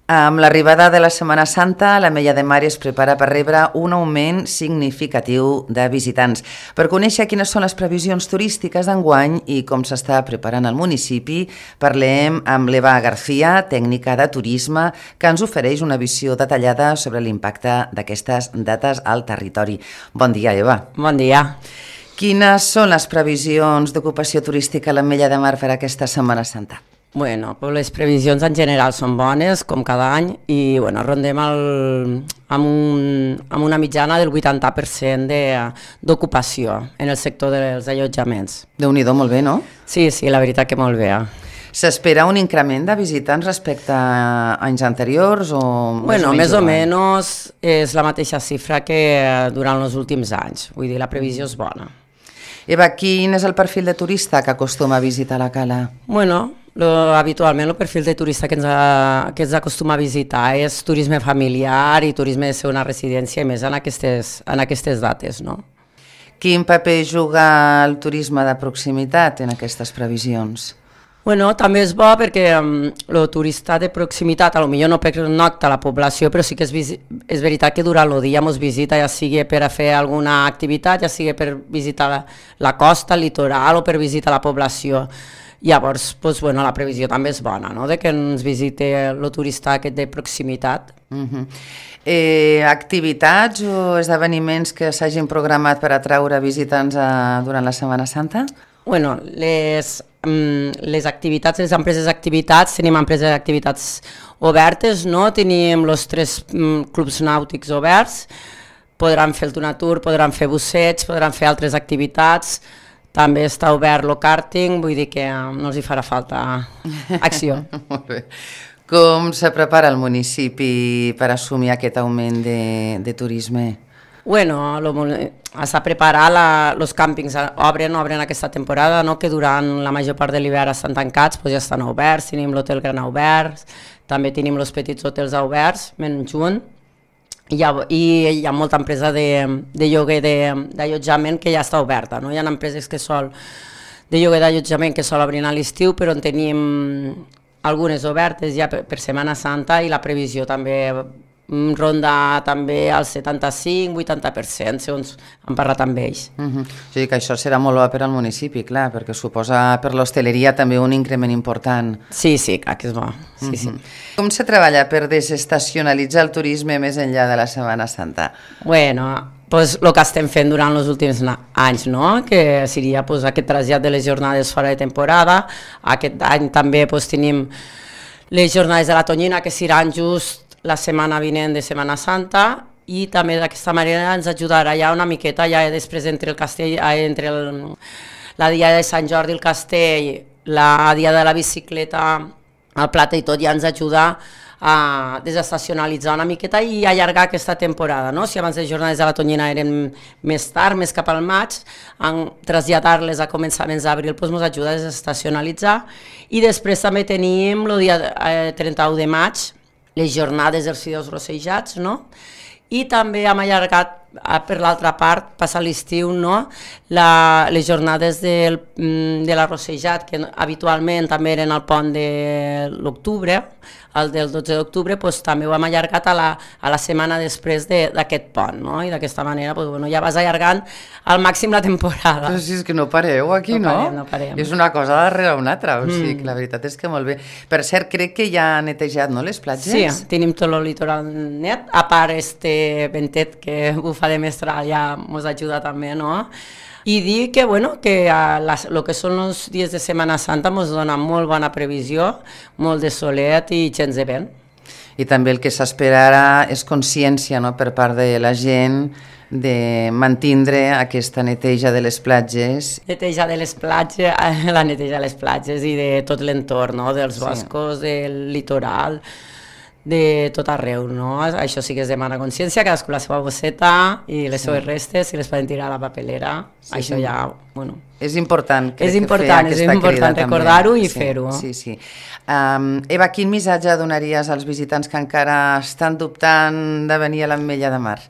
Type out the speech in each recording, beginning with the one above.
Amb l'arribada de la Setmana Santa, l'Ametlla de Mar es prepara per rebre un augment significatiu de visitants. Per conèixer quines són les previsions turístiques d'enguany i com s'està preparant el municipi, parlem amb l'Eva García, tècnica de turisme, que ens ofereix una visió detallada sobre l'impacte d'aquestes dates al territori. Bon dia, Eva. Bon dia. Quines són les previsions d'ocupació turística a l'Ametlla de Mar per aquesta Setmana Santa? Bueno, pues les previsions en general són bones, com cada any, i bueno, rondem amb una mitjana del 80% d'ocupació en el sector dels allotjaments. Déu-n'hi-do, molt bé, no? Sí, la veritat que molt bé. S'espera un increment de visitants respecte a anys anteriors o més o menys és la mateixa xifra que durant els últims anys, vull dir, la previsió és bona. Eva, quin és el perfil de turista que acostuma a visitar la cala? Bueno, habitualment el perfil de turista que ens acostuma a visitar és turisme familiar i turisme de segona residència, i més en aquestes dates, no? Quin paper juga el turisme de proximitat en aquestes previsions? Bueno, també és bo perquè el turista de proximitat potser no pernocta la població, però sí que és veritat que durant el dia ens visita, ja sigui per a fer alguna activitat, ja sigui per visitar la costa, el litoral o per visitar la població. Llavors, la previsió també és bona, no?, de que ens visiti el turista aquest de proximitat. Activitats o esdeveniments que s'hagin programat per atraure visitants durant la Setmana Santa? Bueno, les activitats, les empreses d'activitats, tenim empreses d'activitats obertes, no? Tenim els 3 clubs nàutics oberts, podran fer el Tunatur, podran fer busseig, podran fer altres activitats. També està obert el kàrting, vull dir que no els hi farà falta acció. Molt bé. Com se prepara el municipi per assumir aquest augment de turisme? Bueno, s'ha preparat, els càmpings obren aquesta temporada, no? Que durant la major part de l'hivern estan tancats, ja estan oberts, tenim l'hotel Gran obert, també tenim els petits hotels oberts, menys un. I hi ha molta empresa de lloguer d'allotjament que ja està oberta, no? Hi ha empreses de lloguer d'allotjament que sol obrir a l'estiu, però en tenim algunes obertes ja per Setmana Santa, i la previsió també ronda també al 75-80%, segons hem parlat amb ells. O sigui que això serà molt bo per al municipi, clar, perquè suposa per l'hostaleria també un increment important. Sí, clar que és bo. Sí. Com se treballa per desestacionalitzar el turisme més enllà de la Setmana Santa? Bueno, el que estem fent durant els últims anys, no? Que seria aquest trasllat de les jornades fora de temporada. Aquest any també tenim les jornades de la Tonyina, que seran just la setmana vinent de Setmana Santa, i també d'aquesta manera ens ajudarà ja una miqueta, ja després entre el castell, entre la dia de Sant Jordi, el castell, la dia de la bicicleta, el Plata i tot, ja ens ajuda a desestacionalitzar una miqueta i allargar aquesta temporada, no? Si abans les jornades de la Tonyina eren més tard, més cap al maig, traslladar-les a començaments d'abril ens ajuda a desestacionalitzar. I després també tenim el dia 31 de maig, les jornades dels fideus rossejats, no? I també hem allargat, per l'altra part, passat l'estiu, no? Les jornades de l'arrossejat, que habitualment també eren al pont de l'octubre, el del 12 d'octubre, també ho hem allargat a la setmana després d'aquest pont, no? I d'aquesta manera ja vas allargant al màxim la temporada. Però si és que no pareu aquí, no? No parem. És una cosa darrere una altra, o sigui que la veritat és que molt bé. Per cert, crec que ja han netejat, no, les platges? Sí, tenim tot el litoral net, a part ventet que bufa de mestral ja ens ajuda també, no? I dir que, el que són els dies de Setmana Santa ens dona molt bona previsió, molt de solet i gens de vent. I també el que s'esperarà és consciència, no?, per part de la gent de mantindre aquesta neteja de les platges. Neteja de les platges, la neteja de les platges i de tot l'entorn, no?, dels boscos, del litoral, de tot arreu, no? Això sí que es demana consciència, cadascú la seva bosseta i les seves restes, si les poden tirar a la papelera, això ja, És important, és important recordar-ho i fer-ho. Sí. Eva, quin missatge donaries als visitants que encara estan dubtant de venir a l'Ametlla de Mar?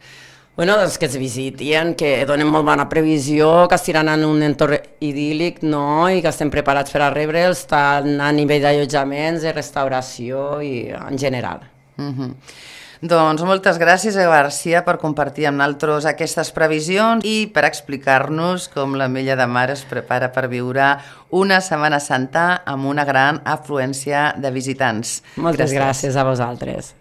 Doncs que es visitin, que donen molt bona previsió, que estiran en un entorn idíl·lic, no? I que estem preparats per a rebre'ls tant a nivell d'allotjaments, de restauració i en general. Doncs moltes gràcies, Eva Garcia, per compartir amb nosaltres aquestes previsions i per explicar-nos com l'Ametlla de Mar es prepara per viure una Setmana Santa amb una gran afluència de visitants. Moltes gràcies a vosaltres.